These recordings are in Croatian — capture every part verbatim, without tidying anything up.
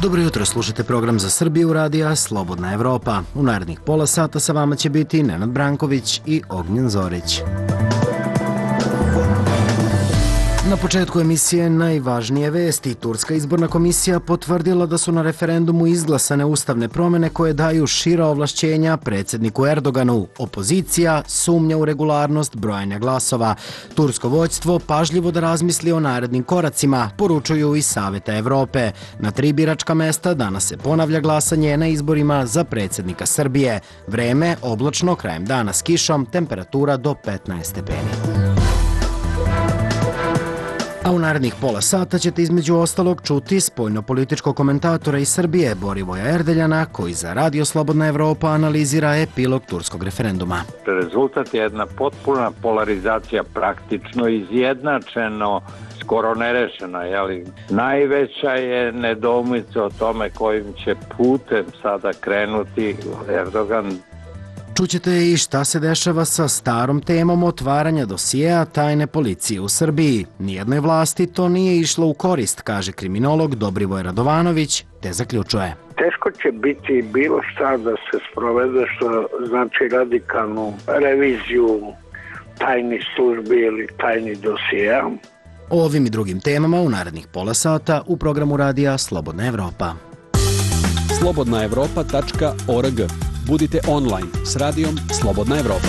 Dobro jutro, slušate program za Srbiju radija Slobodna Evropa. U narednih pola sata sa vama će biti Nenad Branković i Ognjen Zorić. Na početku emisije najvažnije vesti. Turska izborna komisija potvrdila da su na referendumu izglasane ustavne promjene koje daju šira ovlašćenja predsjedniku Erdoganu. Opozicija sumnja u regularnost brojanja glasova. Tursko vođstvo pažljivo da razmisli o narednim koracima, poručuju iz Saveta Evrope. Na tri biračka mesta danas se ponavlja glasanje na izborima za predsjednika Srbije. Vreme oblačno, krajem dana s kišom, temperatura do petnaest stepeni. A u narednih pola sata ćete između ostalog čuti spoljno-političkog komentatora iz Srbije Borivoja Erdeljana, koji za Radio Slobodna Evropa analizira epilog turskog referenduma. Rezultat je jedna potpuna polarizacija, praktično izjednačeno, skoro nerešeno. Jeli? Najveća je nedoumica o tome kojim će putem sada krenuti Erdogan. Čućete i šta se dešava sa starom temom otvaranja dosijeja tajne policije u Srbiji. Nijednoj vlasti to nije išlo u korist, kaže kriminolog Dobrivoj Radovanović, te zaključuje. Teško će biti bilo šta da se sprovede, što znači radikalnu reviziju tajnih službi ili tajnih dosijeja. O ovim i drugim temama u narednih pola sata u programu radija Slobodna Evropa. slobodna evropa tačka org. Budite online s radijom Slobodna Evropa.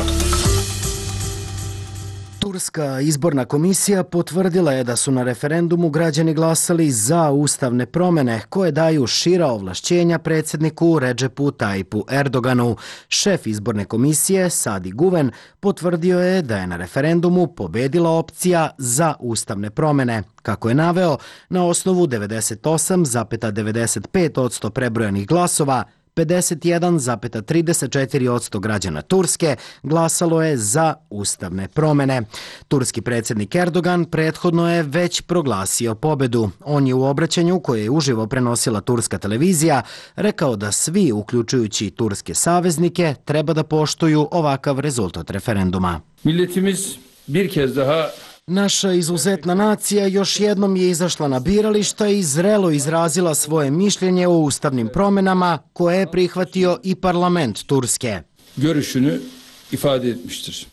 Turska izborna komisija potvrdila je da su na referendumu građani glasali za ustavne promjene koje daju šira ovlašćenja predsjedniku Redžepu Tayipu Erdoganu. Šef izborne komisije Sadi Guven potvrdio je da je na referendumu pobedila opcija za ustavne promjene. Kako je naveo, na osnovu devedeset osam zarez devedeset pet posto prebrojanih glasova, pedeset jedan zarez trideset četiri posto građana Turske glasalo je za ustavne promjene. Turski predsjednik Erdogan prethodno je već proglasio pobedu. On je u obraćanju koje je uživo prenosila turska televizija rekao da svi, uključujući turske saveznike, treba da poštuju ovakav rezultat referenduma. Milletimiz bir kez daha Naša izuzetna nacija još jednom je izašla na birališta i zrelo izrazila svoje mišljenje o ustavnim promjenama koje je prihvatio i parlament Turske. görüşünü ifade etmiştir.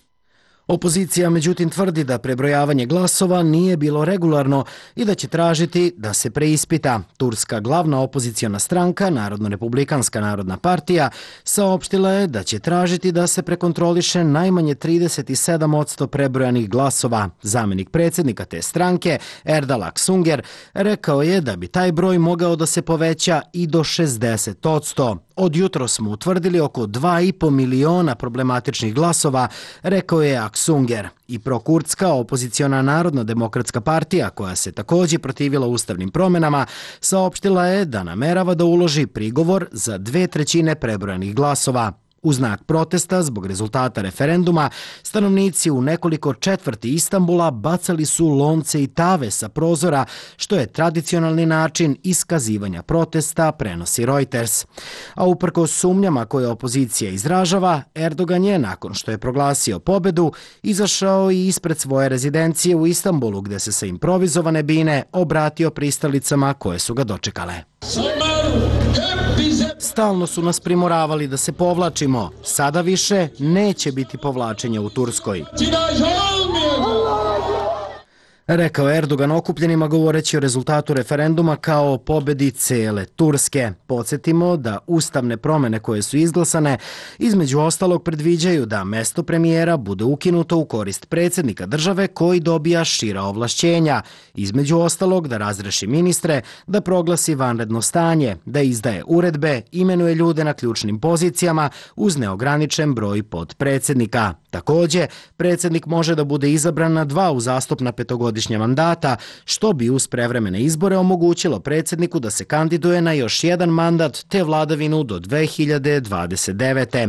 Opozicija međutim tvrdi da prebrojavanje glasova nije bilo regularno i da će tražiti da se preispita. Turska glavna opoziciona stranka, Narodno-republikanska narodna partija, saopštila je da će tražiti da se prekontroliše najmanje trideset sedam posto prebrojanih glasova. Zamenik predsjednika te stranke, Erdal Aksunger, rekao je da bi taj broj mogao da se poveća i do šezdeset posto. Od jutro smo utvrdili oko dva i po miliona problematičnih glasova, rekao je Aksunger. I prokurdska opoziciona Narodna demokratska partija, koja se također protivila ustavnim promjenama, saopštila je da namerava da uloži prigovor za dve trećine prebrojanih glasova. U znak protesta zbog rezultata referenduma, stanovnici u nekoliko četvrti Istanbula bacali su lonce i tave sa prozora, što je tradicionalni način iskazivanja protesta, prenosi Reuters. A uprkos sumnjama koje opozicija izražava, Erdogan je, nakon što je proglasio pobedu, izašao i ispred svoje rezidencije u Istanbulu, gde se sa improvizovane bine obratio pristalicama koje su ga dočekale. Stalno su nas primoravali da se povlačimo. Sada više neće biti povlačenja u Turskoj, rekao Erdogan okupljenima govoreći o rezultatu referenduma kao o pobedi cele Turske. Podsjetimo da ustavne promjene koje su izglasane između ostalog predviđaju da mesto premijera bude ukinuto u korist predsjednika države koji dobija šira ovlašćenja. Između ostalog da razreši ministre, da proglasi vanredno stanje, da izdaje uredbe, imenuje ljude na ključnim pozicijama uz neograničen broj podpredsjednika. Također, predsjednik može da bude izabran na dva uzastopna petogodišnja mandata, što bi uz prevremene izbore omogućilo predsjedniku da se kandiduje na još jedan mandat te vladavinu do dve hiljade dvadeset devete.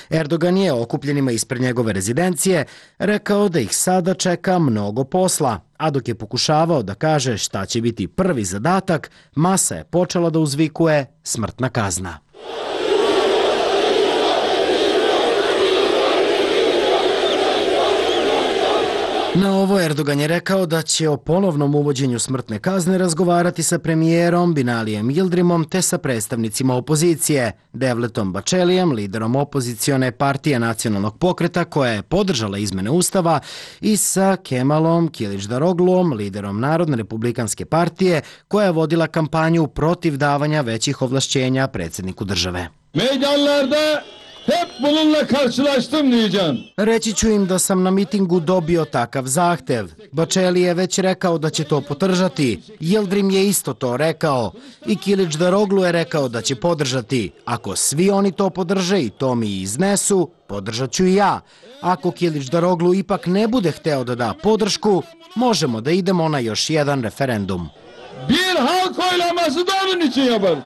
Erdogan je okupljenima ispred njegove rezidencije rekao da ih sada čeka mnogo posla, a dok je pokušavao da kaže šta će biti prvi zadatak, masa je počela da uzvikuje smrtna kazna. Na ovo Erdogan je rekao da će o ponovnom uvođenju smrtne kazne razgovarati sa premijerom Binalijem Yildirimom te sa predstavnicima opozicije, Devletom Bahçelijem, liderom opozicione partije Nacionalnog pokreta koja je podržala izmene ustava, i sa Kemalom Kılıçdaroğluom, liderom Narodne republikanske partije koja je vodila kampanju protiv davanja većih ovlašćenja predsjedniku države. Meydanlarda hep bununla karşılaştım diyeceğim. Reći ću im da sam na mitingu dobio takav zahtev. Bahçeli je već rekao da će to podržati. Yildirim je isto to rekao. I Kılıçdaroğlu je rekao da će podržati. Ako svi oni to podrže i to mi iznesu, podržat ću i ja. Ako Kılıçdaroğlu ipak ne bude hteo da da podršku, možemo da idemo na još jedan referendum. Bir halk oylaması da onun için yaparız.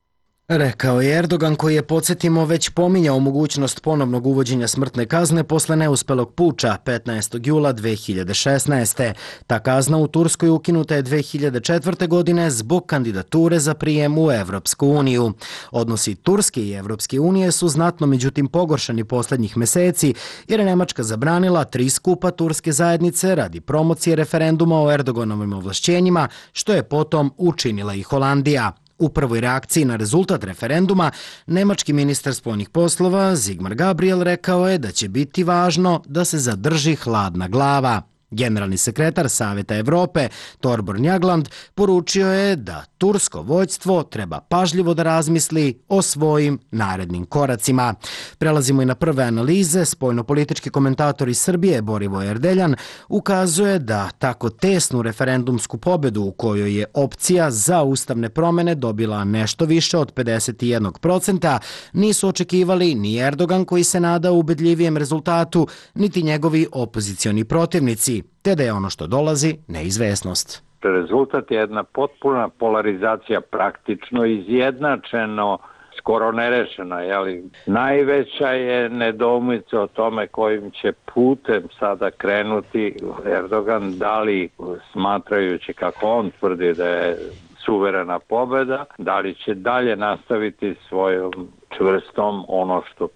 Rekao je Erdogan, koji je, podsjetimo, već pominjao mogućnost ponovnog uvođenja smrtne kazne posle neuspelog puča petnaestog jula dve hiljade šesnaeste. Ta kazna u Turskoj ukinuta je dve hiljade četvrte. godine zbog kandidature za prijem u Evropsku uniju. Odnosi Turske i Evropske unije su znatno međutim pogoršani posljednjih meseci, jer je Nemačka zabranila tri skupa turske zajednice radi promocije referenduma o Erdoganovim ovlašćenjima, što je potom učinila i Holandija. U prvoj reakciji na rezultat referenduma, nemački ministar spoljnih poslova Sigmar Gabriel rekao je da će biti važno da se zadrži hladna glava. Generalni sekretar Savjeta Evrope Thorbjørn Jagland poručio je da tursko vođstvo treba pažljivo da razmisli o svojim narednim koracima. Prelazimo i na prve analize. Spoljnopolitički komentator iz Srbije Borivoje Erdeljan ukazuje da tako tesnu referendumsku pobedu u kojoj je opcija za ustavne promjene dobila nešto više od pedeset jedan posto nisu očekivali ni Erdogan, koji se nada ubedljivijem rezultatu, niti njegovi opozicioni protivnici, te da je ono što dolazi neizvesnost. Rezultat je jedna potpuna polarizacija, praktično izjednačeno, skoro nerešeno. Jeli? Najveća je nedoumica o tome kojim će putem sada krenuti Erdogan, da li smatrajući, kako on tvrdi, da je suverena pobeda, da li će dalje nastaviti svojom čvrstom, ono što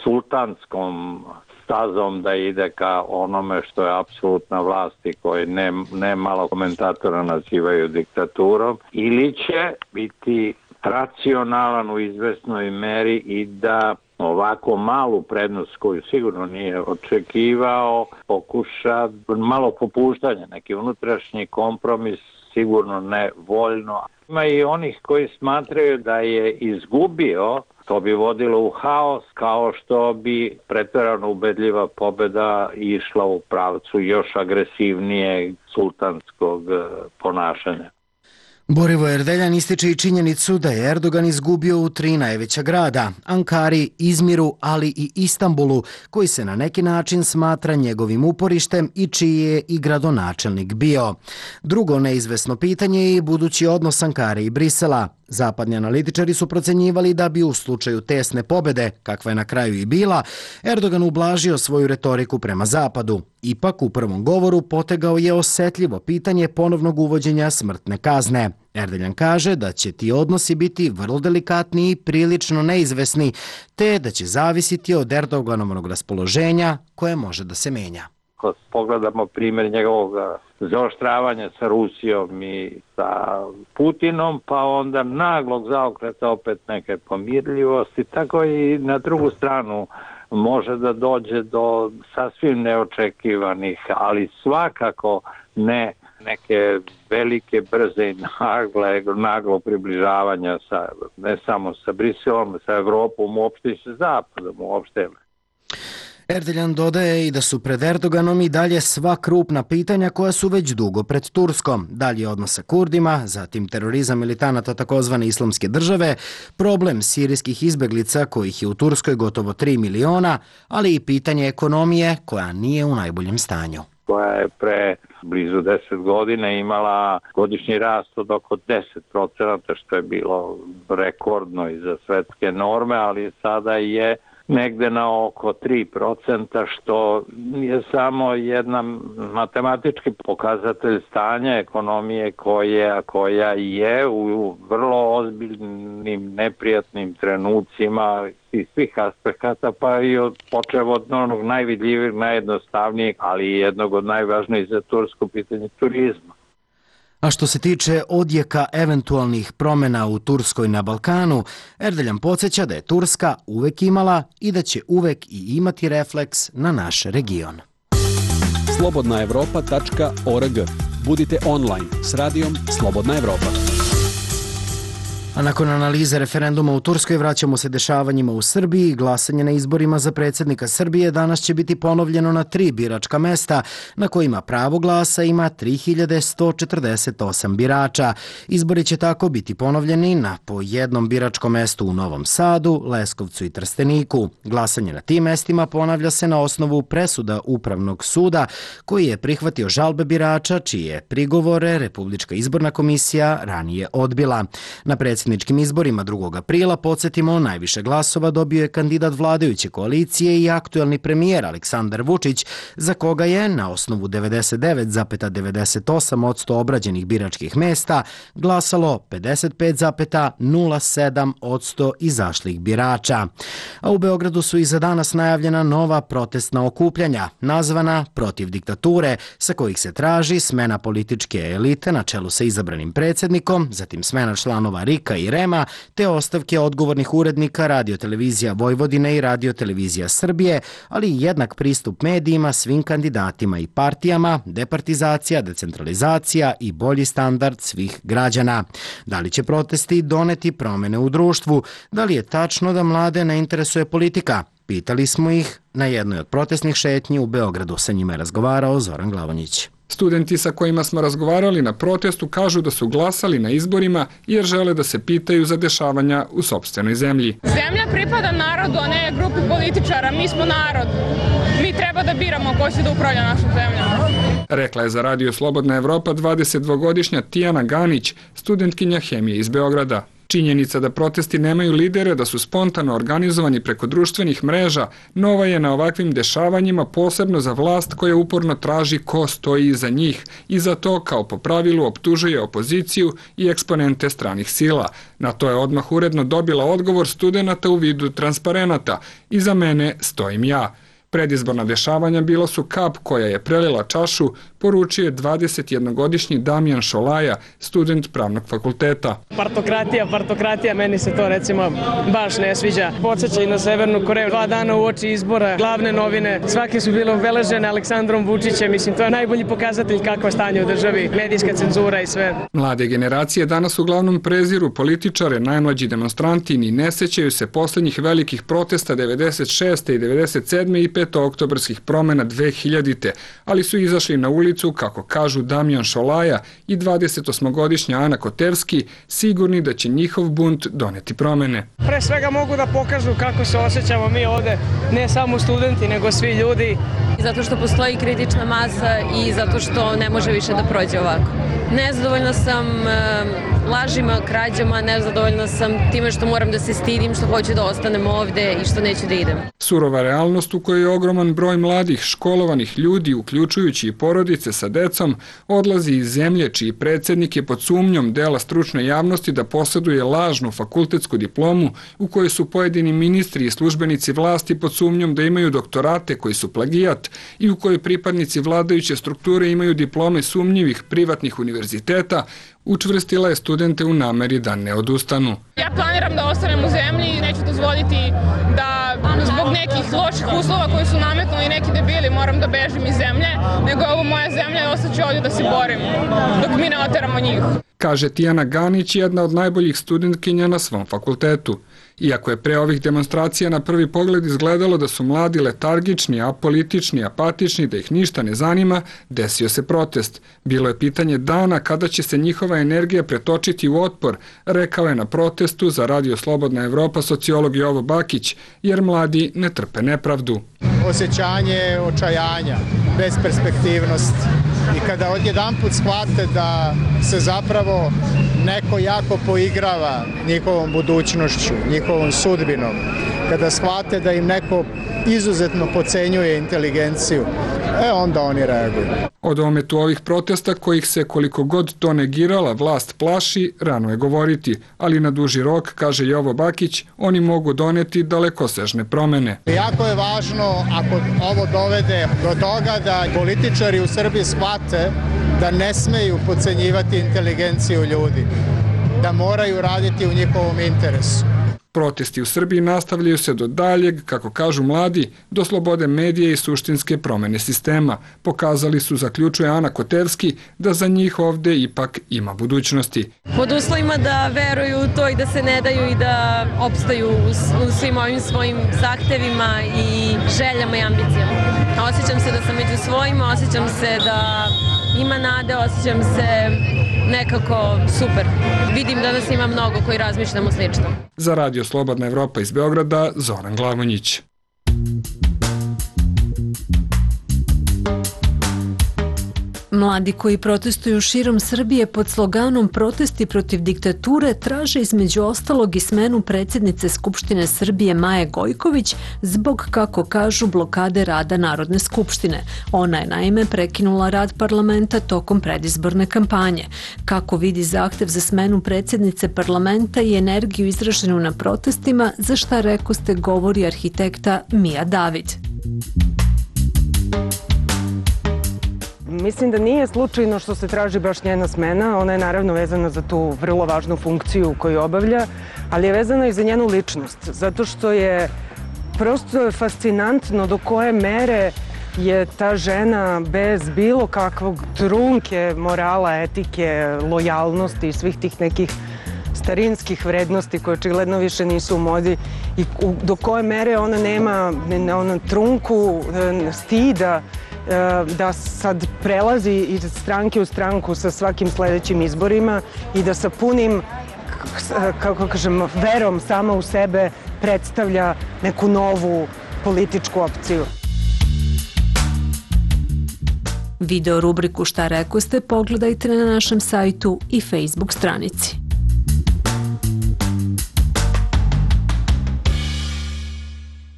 sultanskom stazom da ide ka onome što je apsolutna vlast i koji ne, ne malo komentatora nazivaju diktaturom, ili će biti racionalan u izvesnoj meri i da ovako malu prednost koju sigurno nije očekivao pokuša malo popuštanja, neki unutrašnji kompromis, sigurno ne voljno. Ima i onih koji smatraju da je izgubio, to bi vodilo u haos, kao što bi pretjerano ubedljiva pobjeda išla u pravcu još agresivnijeg sultanskog ponašanja. Borivoje Erdeljan ističe i činjenicu da je Erdogan izgubio u tri najveća grada, Ankari, Izmiru, ali i Istanbulu, koji se na neki način smatra njegovim uporištem i čiji je i gradonačelnik bio. Drugo neizvesno pitanje je i budući odnos Ankare i Brisela. Zapadni analitičari su procenjivali da bi u slučaju tesne pobjede, kakva je na kraju i bila, Erdogan ublažio svoju retoriku prema Zapadu. Ipak u prvom govoru potegao je osetljivo pitanje ponovnog uvođenja smrtne kazne. Erdeljan kaže da će ti odnosi biti vrlo delikatni i prilično neizvesni, te da će zavisiti od Erdoganovog raspoloženja koje može da se menja. Ako pogledamo primjer njegovog zaoštravanja sa Rusijom i sa Putinom, pa onda naglog zaokreta opet neke pomirljivosti, tako i na drugu stranu može da dođe do sasvim neočekivanih, ali svakako ne neke velike, brze i nagle, naglo približavanja sa, ne samo sa Briselom, sa Evropom, uopšte i sa Zapadom, uopšte. Erdeljan dodaje i da su pred Erdoganom i dalje sva krupna pitanja koja su već dugo pred Turskom. Dalje odnos sa Kurdima, zatim terorizam militanata takozvane islamske države, problem sirijskih izbeglica kojih je u Turskoj gotovo tri miliona, ali i pitanje ekonomije koja nije u najboljem stanju. Koja je pre blizu deset godina imala godišnji rast od oko deset procenata, što je bilo rekordno i za svetske norme, ali sada je negde na oko tri procenta, što je samo jedan matematički pokazatelj stanja ekonomije koja, koja je u vrlo ozbiljnim, neprijatnim trenucima iz svih aspekata, pa i od počev od onog najvidljivijeg, najjednostavnijeg, ali i jednog od najvažnijih za Tursku pitanje turizma. A što se tiče odjeka eventualnih promjena u Turskoj na Balkanu, Erdeljan podsjeća da je Turska uvek imala i da će uvek i imati refleks na naš region. slobodna evropa tačka org. Budite online s radijom Slobodna Evropa. A nakon analize referenduma u Turskoj vraćamo se dešavanjima u Srbiji. Glasanje na izborima za predsjednika Srbije danas će biti ponovljeno na tri biračka mesta na kojima pravo glasa ima tri hiljade sto četrdeset osam birača. Izbori će tako biti ponovljeni na po jednom biračkom mestu u Novom Sadu, Leskovcu i Trsteniku. Glasanje na tim mestima ponavlja se na osnovu presuda Upravnog suda koji je prihvatio žalbe birača čije prigovore Republička izborna komisija ranije odbila. Na predsjedničkim izborima drugog aprila, podsjetimo, najviše glasova dobio je kandidat vladajuće koalicije i aktuelni premijer Aleksandar Vučić, za koga je na osnovu devedeset devet zarez devedeset osam posto obrađenih biračkih mesta glasalo pedeset pet zarez nula sedam posto izašlih birača. A u Beogradu su i za danas najavljena nova protestna okupljanja, nazvana Protiv diktature, sa kojih se traži smena političke elite na čelu sa izabranim predsjednikom, zatim smena članova R I K-a i R E M-a, te ostavke odgovornih urednika Radio-televizija Vojvodine i Radio-televizija Srbije, ali i jednak pristup medijima svim kandidatima i partijama, departizacija, decentralizacija i bolji standard svih građana. Da li će protesti doneti promjene u društvu? Da li je tačno da mlade ne interesuje politika? Pitali smo ih na jednoj od protestnih šetnji u Beogradu. Sa njima je razgovarao Zoran Glavonjić. Studenti sa kojima smo razgovarali na protestu kažu da su glasali na izborima jer žele da se pitaju za dešavanja u sopstvenoj zemlji. Zemlja pripada narodu, a ne grupi političara. Mi smo narod. Mi treba da biramo ko će da upravlja našom zemljom. Rekla je za Radio Slobodna Evropa dvadesetdvogodišnja Tijana Ganić, studentkinja hemije iz Beograda. Činjenica da protesti nemaju lidere, da su spontano organizovani preko društvenih mreža, nova je na ovakvim dešavanjima, posebno za vlast koja uporno traži ko stoji iza njih i za to, kao po pravilu, optužuje opoziciju i eksponente stranih sila. Na to je odmah uredno dobila odgovor studenata u vidu transparenata. Iza mene stojim ja. Predizborna dešavanja bila su kap koja je prelila čašu, poručio je dvadesetjednogodišnji Damjan Šolaja, student pravnog fakulteta. Partokratija, partokratija, meni se to recimo baš ne sviđa. Podsjeća i na Severnu Koreju, dva dana u oči izbora, glavne novine, svake su bile obeležene Aleksandrom Vučićem, mislim to je najbolji pokazatelj kakvo je stanje u državi, medijska cenzura i sve. Mlade generacije danas uglavnom preziru političare, najmlađi demonstranti ni ne sećaju se posljednjih velikih protesta devedeset šeste i devedeset sedme i petooktobarskih promjena dve hiljadite, ali su izašli na ulicu, kako kažu Damjan Šolaja i dvadesetosmogodišnja Ana Kotevski, sigurni da će njihov bunt doneti promjene. Pre svega mogu da pokažu kako se osjećamo mi ovde, ne samo studenti, nego svi ljudi. Zato što postoji kritična masa i zato što ne može više da prođe ovako. Nezadovoljna sam lažima, krađama, nezadovoljna sam time što moram da se stidim, što hoću da ostanem ovde i što neću da idem. Surova realnost u kojoj je ogroman broj mladih, školovanih ljudi, uključujući i porodice sa decom, odlazi iz zemlje čiji predsjednik je pod sumnjom dela stručne javnosti da posjeduje lažnu fakultetsku diplomu u kojoj su pojedini ministri i službenici vlasti pod sumnjom da imaju doktorate koji su plagijat i u kojoj pripadnici vladajuće strukture imaju diplome sumnjivih privatnih univerziteta, učvrstila je studente u nameri da ne odustanu. Ja planiram da ostanem u zemlji i neću dozvoliti da zbog nekih loših uslova koji su nametnuli neki debili moram da bežim iz zemlje, nego je ovo moja zemlja i ostaću ovdje da se borim dok mi ne oteramo njih. Kaže Tijana Ganić, jedna od najboljih studentkinja na svom fakultetu. Iako je pre ovih demonstracija na prvi pogled izgledalo da su mladi letargični, apolitični, apatični, da ih ništa ne zanima, desio se protest. Bilo je pitanje dana kada će se njihova energija pretočiti u otpor, rekao je na protestu za Radio Slobodna Evropa sociolog Jovo Bakić, jer mladi ne trpe nepravdu. Osjećanje očajanja, besperspektivnost i kada odjedanput shvate da se zapravo neko jako poigrava njihovom budućnošću, njihovom sudbinom, kada shvate da im neko izuzetno pocenjuje inteligenciju, e onda oni reaguju. Od ometu ovih protesta, kojih se koliko god to negirala vlast plaši, rano je govoriti, ali na duži rok, kaže Jovo Bakić, oni mogu doneti dalekosežne promene. Jako je važno, ako ovo dovede do toga, da političari u Srbiji shvate da ne smeju pocenjivati inteligenciju ljudi, da moraju raditi u njihovom interesu. Protesti u Srbiji nastavljaju se do daljeg, kako kažu mladi, do slobode medije i suštinske promene sistema. Pokazali su, zaključuje Ana Koterski, da za njih ovde ipak ima budućnosti. Pod uslovima da veruju u to i da se ne daju i da opstaju u svim ovim svojim zahtevima i željama i ambicijama. Osjećam se da sam među svojima, osjećam se da ima nade, osjećam se nekako super. Vidim da nas ima mnogo koji razmišljamo slično. Za Radio Slobodna Evropa iz Beograda, Zoran Glavonjić. Mladi koji protestuju širom Srbije pod sloganom Protesti protiv diktature traže između ostalog i smenu predsjednice Skupštine Srbije Maje Gojković zbog, kako kažu, blokade rada Narodne skupštine. Ona je naime prekinula rad parlamenta tokom predizborne kampanje. Kako vidi zahtev za smenu predsjednice parlamenta i energiju izraženu na protestima, za šta rekoste govori arhitekta Mija David. Mislim da nije slučajno što se traži baš njena smena, ona je naravno vezana za tu vrlo važnu funkciju koju obavlja, ali je vezana i za njenu ličnost, zato što je prosto fascinantno do koje mere je ta žena bez bilo kakvog trunke morala, etike, lojalnosti i svih tih nekih starinskih vrednosti koje očigledno više nisu u modi i do koje mere ona nema ona trunku stida da sad prelazi iz stranke u stranku sa svakim sledećim izborima i da sa punim, kako kažem, verom sama u sebe predstavlja neku novu političku opciju. Video rubriku Šta rekoste pogledajte na našem sajtu i Facebook stranici.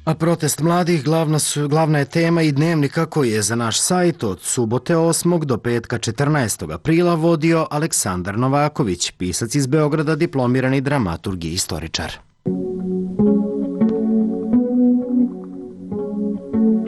A protest mladih glavna, su, glavna je tema i dnevnika koji je za naš sajt od subote osmog do petka četrnaestog aprila vodio Aleksandar Novaković, pisac iz Beograda, diplomirani dramaturg i istoričar.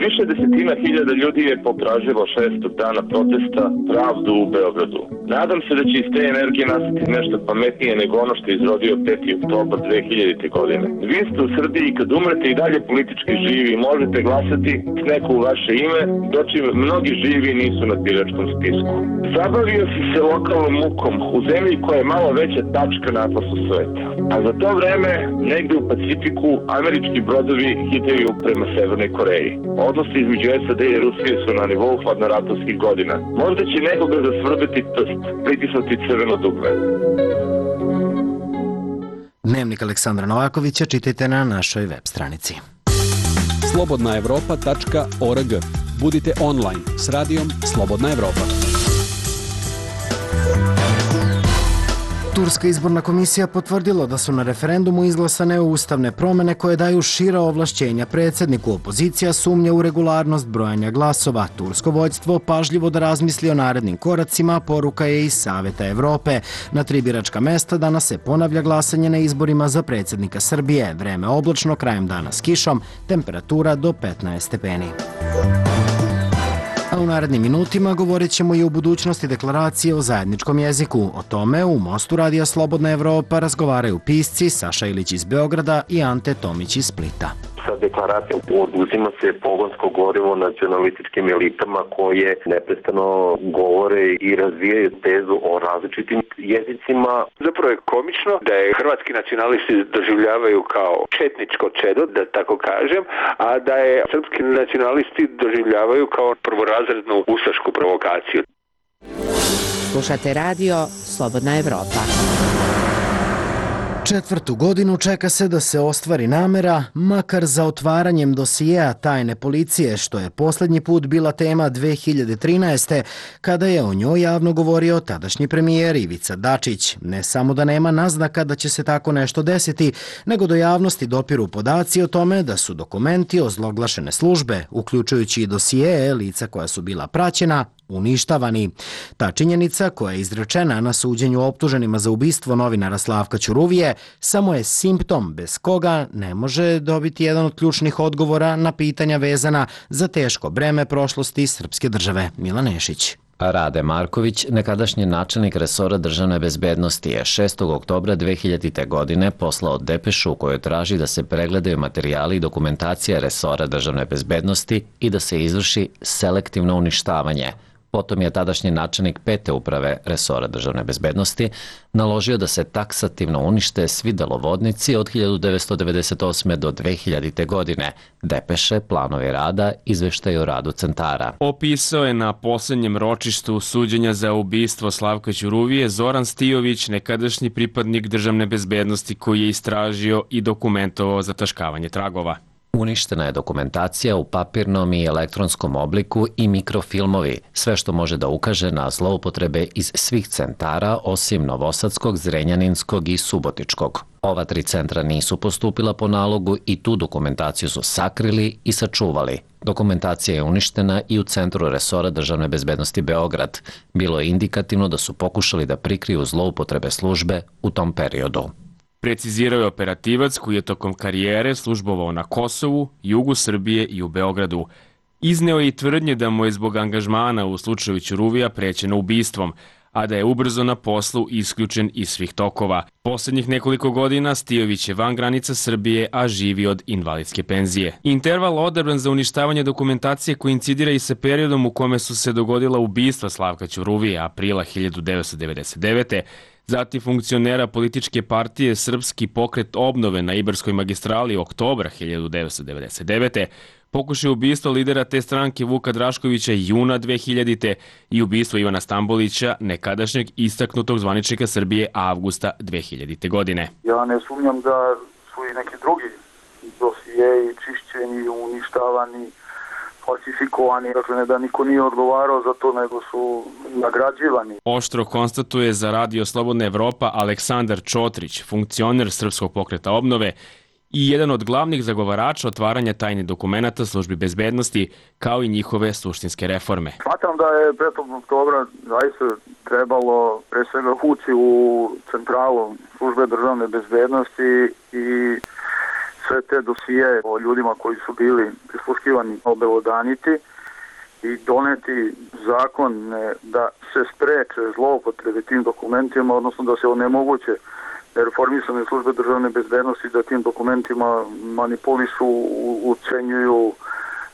Više desetina hiljada ljudi je potražilo šestog dana protesta pravdu u Beogradu. Nadam se da će iz te energije nastati nešto pametnije nego ono što je izrodio peti oktobar dve hiljadite. godine. Vi ste u Srbiji i kad umrete i dalje politički živi možete glasati s neko u vaše ime, dočim mnogi živi nisu na biračkom spisku. Zabavio si se lokalnom mukom u zemlji koja je malo veća tačka na atlasu sveta. A za to vreme, negde u Pacifiku, američki brodovi hitaju prema Severnoj Koreji. Odnosi između S A D i Rusije su na nivou hladnoratovskih godina. Možda će nekoga zasvrbeti prst, pritisnuti crveno dugme. Dnevnik Aleksandra Novakovića čitajte na našoj web stranici. slobodna evropa tačka org. Budite online s radijom Slobodna Evropa. Turska izborna komisija potvrdila da su na referendumu izglasane ustavne promene koje daju šira ovlašćenja predsjedniku. Opozicija sumnja u regularnost brojanja glasova. Tursko vođstvo pažljivo da razmisli o narednim koracima, poruka je iz Saveta Evrope. Na tri biračka mesta danas se ponavlja glasanje na izborima za predsjednika Srbije. Vreme oblačno, krajem dana s kišom, temperatura do petnaest stepeni. A u narednim minutima govorit ćemo i o budućnosti deklaracije o zajedničkom jeziku. O tome u Mostu Radija Slobodna Evropa razgovaraju pisci Saša Ilić iz Beograda i Ante Tomić iz Splita. Sa deklaracijom oduzima se pogonsko gorivo nacionalističkim elitama koje neprestano govore i razvijaju tezu o različitim jezicima. Zapravo je komično da je hrvatski nacionalisti doživljavaju kao četničko čedo, da tako kažem, a da je srpski nacionalisti doživljavaju kao prvorazrednu ustašku provokaciju. Slušate radio Slobodna Evropa. Četvrtu godinu čeka se da se ostvari namera, makar za otvaranjem dosijeja tajne policije, što je posljednji put bila tema dve hiljade trinaeste. kada je o njoj javno govorio tadašnji premijer Ivica Dačić. Ne samo da nema naznaka da će se tako nešto desiti, nego do javnosti dopiru podaci o tome da su dokumenti ozloglašene službe, uključujući i dosijeje lica koja su bila praćena, uništavani. Ta činjenica, koja je izrečena na suđenju optuženima za ubistvo novinara Slavka Ćuruvije, samo je simptom bez koga ne može dobiti jedan od ključnih odgovora na pitanja vezana za teško breme prošlosti srpske države. Milan Nešić. Rade Marković, nekadašnji načelnik resora državne bezbednosti, je šestog oktobra dve hiljadite. godine poslao depešu u kojoj traži da se pregledaju materijali i dokumentacija resora državne bezbednosti i da se izvrši selektivno uništavanje. Potom je tadašnji načelnik pete uprave resora državne bezbednosti naložio da se taksativno unište svi delovodnici od hiljadu devetsto devedeset osme. do dve hiljadite. godine, depeše, planovi rada, izveštaj o radu centara. Opisao je na posljednjem ročištu suđenja za ubistvo Slavka Ćuruvije Zoran Stijović, nekadašnji pripadnik državne bezbednosti koji je istražio i dokumentovao zataškavanje tragova. Uništena je dokumentacija u papirnom i elektronskom obliku i mikrofilmovi, sve što može da ukaže na zloupotrebe iz svih centara osim Novosadskog, Zrenjaninskog i Subotičkog. Ova tri centra nisu postupila po nalogu i tu dokumentaciju su sakrili i sačuvali. Dokumentacija je uništena i u Centru resora državne bezbednosti Beograd. Bilo je indikativno da su pokušali da prikriju zloupotrebe službe u tom periodu. Precizirao je operativac koji je tokom karijere službovao na Kosovu, jugu Srbije i u Beogradu. Izneo je i tvrdnje da mu je zbog angažmana u slučaju Ćuruvija prećeno ubistvom, a da je ubrzo na poslu isključen iz svih tokova. Poslednjih nekoliko godina Stijović je van granica Srbije, a živi od invalidske penzije. Interval odabran za uništavanje dokumentacije koincidira i sa periodom u kome su se dogodila ubistva Slavka Ćuruvije aprila hiljadu devetsto devedeset devete. Zatim funkcionera političke partije Srpski pokret obnove na Ibarskoj magistrali oktobra hiljadu devetsto devedeset devete, pokušaj ubistva lidera te stranke Vuka Draškovića juna dve hiljadite. i ubistvo Ivana Stambolića, nekadašnjeg istaknutog zvaničnika Srbije avgusta dve hiljadite. godine. Ja ne sumnjam da su i neki drugi dosijeji čišćeni, uništavani, falsifikovani, dakle ne da niko nije odgovarao za to, nego su nagrađivani. Oštro konstatuje za Radio Slobodna Evropa Aleksandar Čotrić, funkcioner Srpskog pokreta obnove i jedan od glavnih zagovarača otvaranja tajnih dokumenata službi bezbednosti, kao i njihove suštinske reforme. Smatram da je petog oktobra zaista trebalo pre svega ući u centralu službe državne bezbednosti i sve te dosije o ljudima koji su bili prisluškivani obelodaniti i doneti zakon da se spreče zloupotrebe tim dokumentima, odnosno da se onemoguće reformisane službe državne bezbednosti da tim dokumentima manipulišu, ucenjuju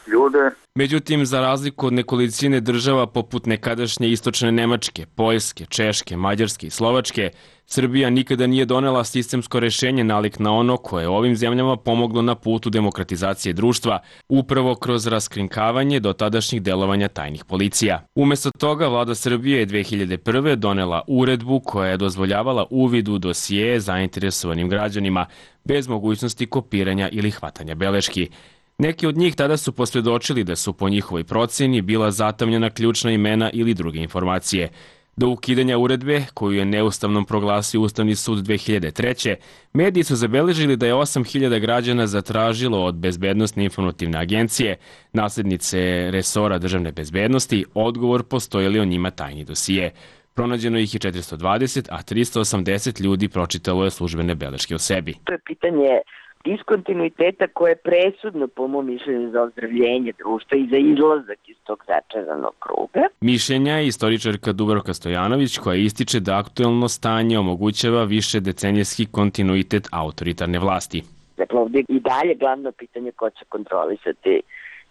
ljude. Međutim, za razliku od nekolicine država poput nekadašnje istočne Nemačke, Poljske, Češke, Mađarske i Slovačke, Srbija nikada nije donela sistemsko rešenje nalik na ono koje je ovim zemljama pomoglo na putu demokratizacije društva, upravo kroz raskrinkavanje do tadašnjih delovanja tajnih policija. Umesto toga, vlada Srbije je dve hiljade prve. donela uredbu koja je dozvoljavala uvid u dosije zainteresovanim građanima, bez mogućnosti kopiranja ili hvatanja beleški. Neki od njih tada su posvjedočili da su po njihovoj procjeni bila zatamljena ključna imena ili druge informacije. Do ukidanja uredbe, koju je neustavnom proglasio Ustavni sud dve hiljade treće. mediji su zabeležili da je osam hiljada građana zatražilo od Bezbednosne informativne agencije, naslednice resora državne bezbednosti, odgovor postoji li o njima tajni dosije. Pronađeno ih je četiristo dvadeset, a tristo osamdeset ljudi pročitalo je službene beleške o sebi. To je pitanje diskontinuiteta koje je presudno po mom mišljenju za ozdravljenje društva i za izlazak iz tog začaranog kruga. Mišljenja je istoričarka Dubravka Stojanović, koja ističe da aktuelno stanje omogućava više decenijski kontinuitet autoritarne vlasti. Dakle, ovdje i dalje glavno pitanje ko će kontrolisati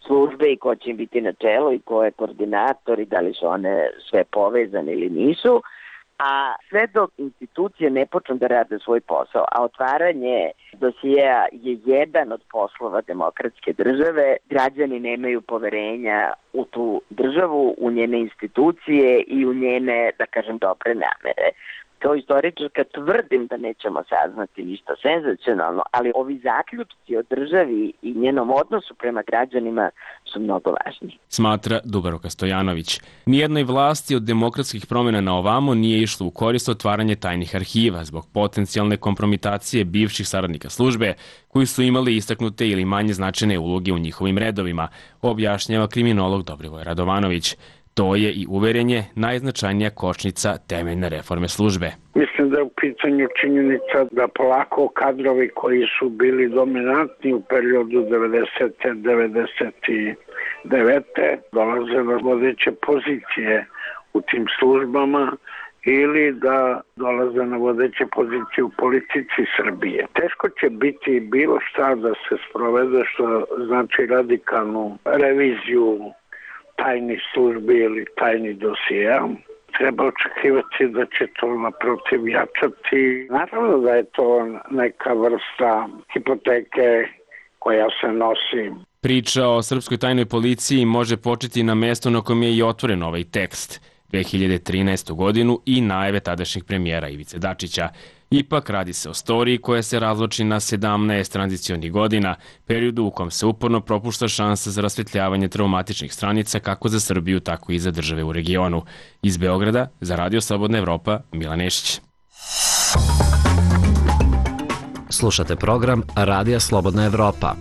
službe i ko će im biti na čelu i ko je koordinator i da li su one sve povezane ili nisu. A sve dok institucije ne počnu da rade svoj posao, a otvaranje dosijeja je jedan od poslova demokratske države, građani nemaju poverenja u tu državu, u njene institucije i u njene, da kažem, dobre namere. Kao istoričarka tvrdim da nećemo saznati ništa senzacionalno, ali ovi zaključci o državi i njenom odnosu prema građanima su mnogo važni. Smatra Dubravka Stojanović. Nijednoj vlasti od demokratskih promjena na ovamo nije išlo u korist otvaranje tajnih arhiva zbog potencijalne kompromitacije bivših saradnika službe koji su imali istaknute ili manje značajne uloge u njihovim redovima, objašnjava kriminolog Dobrivoj Radovanović. To je i uverenje najznačajnija kočnica temeljne reforme službe. Mislim da je u pitanju činjenica da polako kadrovi koji su bili dominantni u periodu devedesete do devedeset devete dolaze na vodeće pozicije u tim službama ili da dolaze na vodeće pozicije u politici Srbije. Teško će biti bilo šta da se sprovede, što znači radikalnu reviziju tajnih službi ili tajnih dosija. Treba očekivati da će to naprotiv jačati. Naravno da je to neka vrsta hipoteke koja se nosi. Priča o srpskoj tajnoj policiji može početi na mesto na kojem je i otvoren ovaj tekst, dve hiljade trinaestu. godinu i najave tadašnjeg premijera Ivice Dačića. Ipak radi se o storiji koja se razloči na sedamnaest tranzicionih godina, periodu u kom se uporno propušta šansa za rasvetljavanje traumatičnih stranica kako za Srbiju, tako i za države u regionu. Iz Beograda, za Radio Slobodna Evropa, Milan Nešić. Slušate program Radija Slobodna Evropa.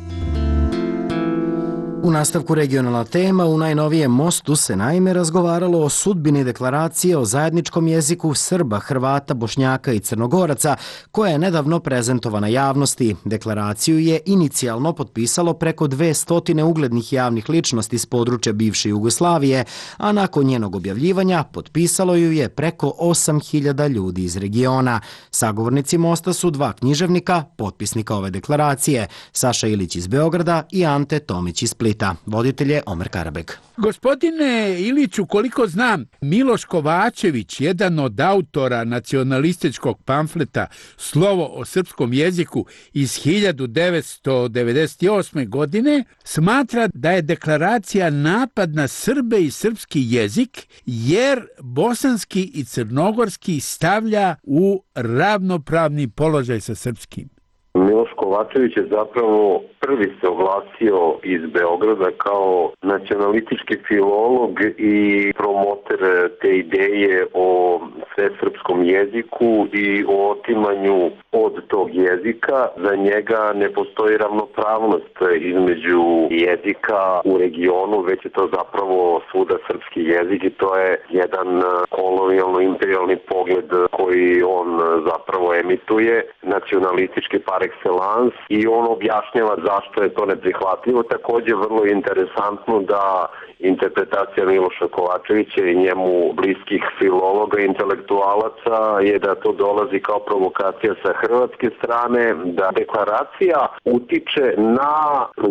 U nastavku regionalna tema, u najnovijem Mostu se naime razgovaralo o sudbini deklaracije o zajedničkom jeziku Srba, Hrvata, Bošnjaka i Crnogoraca, koja je nedavno prezentovana javnosti. Deklaraciju je inicijalno potpisalo preko dve stotine uglednih javnih ličnosti s područja bivše Jugoslavije, a nakon njenog objavljivanja potpisalo ju je preko osam hiljada ljudi iz regiona. Sagovornici Mosta su dva književnika, potpisnika ove deklaracije, Saša Ilić iz Beograda i Ante Tomić iz Splita. Voditelj je Omer Karabeg. Gospodine Iliću, koliko znam, Miloš Kovačević, jedan od autora nacionalističkog pamfleta Slovo o srpskom jeziku iz hiljadu devetsto devedeset osme. godine, smatra da je deklaracija napad na Srbe i srpski jezik, jer bosanski i crnogorski stavlja u ravnopravni položaj sa srpskim. Miloš Kovačević je zapravo prvi se oglasio iz Beograda kao nacionalistički filolog i promoter te ideje o svesrpskom jeziku i o otimanju od tog jezika. Za njega ne postoji ravnopravnost između jezika u regionu, već je to zapravo svuda srpski jezik i to je jedan kolonijalno-imperijalni pogled koji on zapravo emituje, nacionalistički par excellence, i on objašnjava zašto je to neprihvatljivo. Također vrlo interesantno da interpretacija Miloša Kovačevića i njemu bliskih filologa i intelektualaca je da to dolazi kao provokacija sa hrvatske strane, da deklaracija utiče na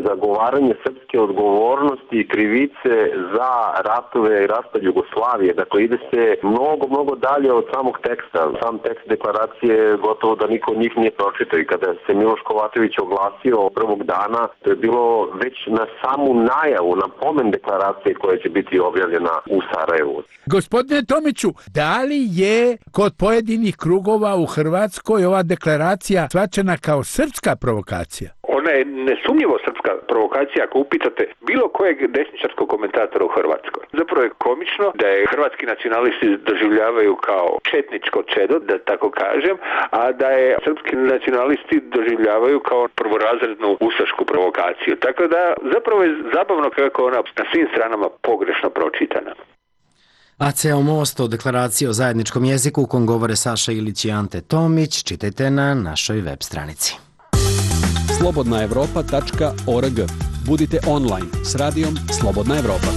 zagovaranje srpske odgovornosti i krivice za ratove i raspad Jugoslavije. Dakle, ide se mnogo, mnogo dalje od samog teksta. Sam tekst deklaracije gotovo da niko od njih nije pročitao, i kada se Miloš Kovačević oglasio prvog dana, to je bilo već na samu najavu, na pomen deklaracije koja će biti objavljena u Sarajevu. Gospodine Tomiću, da li je kod pojedinih krugova u Hrvatskoj ova deklaracija shvaćena kao srpska provokacija? Ona je nesumnjivo srpska provokacija ako upitate bilo kojeg desničarskog komentatora u Hrvatskoj. Zapravo je komično da je hrvatski nacionalisti doživljavaju kao četničko čedo, da tako kažem, a da je srpski nacionalisti doživljavaju kao prvorazrednu ustašku provokaciju. Tako da zapravo je zabavno kako ona na svim stranama pogrešno pročitana. A ceo most o deklaraciji o zajedničkom jeziku u kom govore Saša Ilić i Ante Tomić čitajte na našoj web stranici. slobodna evropa tačka org. Budite online s radijom Slobodna Evropa.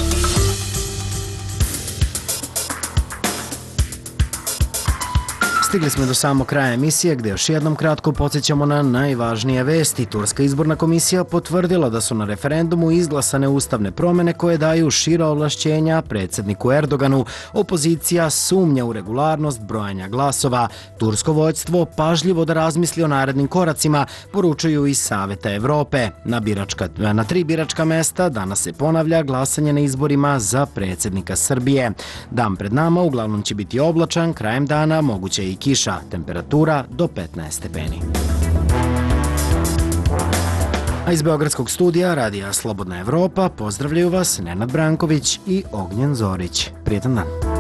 Stigli smo do samog kraja emisije gdje još jednom kratko podsjećamo na najvažnije vesti. Turska izborna komisija potvrdila da su na referendumu izglasane ustavne promjene koje daju šira ovlašćenja predsjedniku Erdoganu. Opozicija sumnja u regularnost brojanja glasova. Tursko vođstvo pažljivo da razmisli o narednim koracima, poručuju iz Saveta Evrope. Na, biračka, na tri biračka mesta danas se ponavlja glasanje na izborima za predsjednika Srbije. Dan pred nama uglavnom će biti oblačan, krajem dana moguće i kiša, temperatura do petnaest stepeni. A iz Beogradskog studija radija Slobodna Evropa pozdravljaju vas Nenad Branković i Ognjen Zorić. Prijetan dan.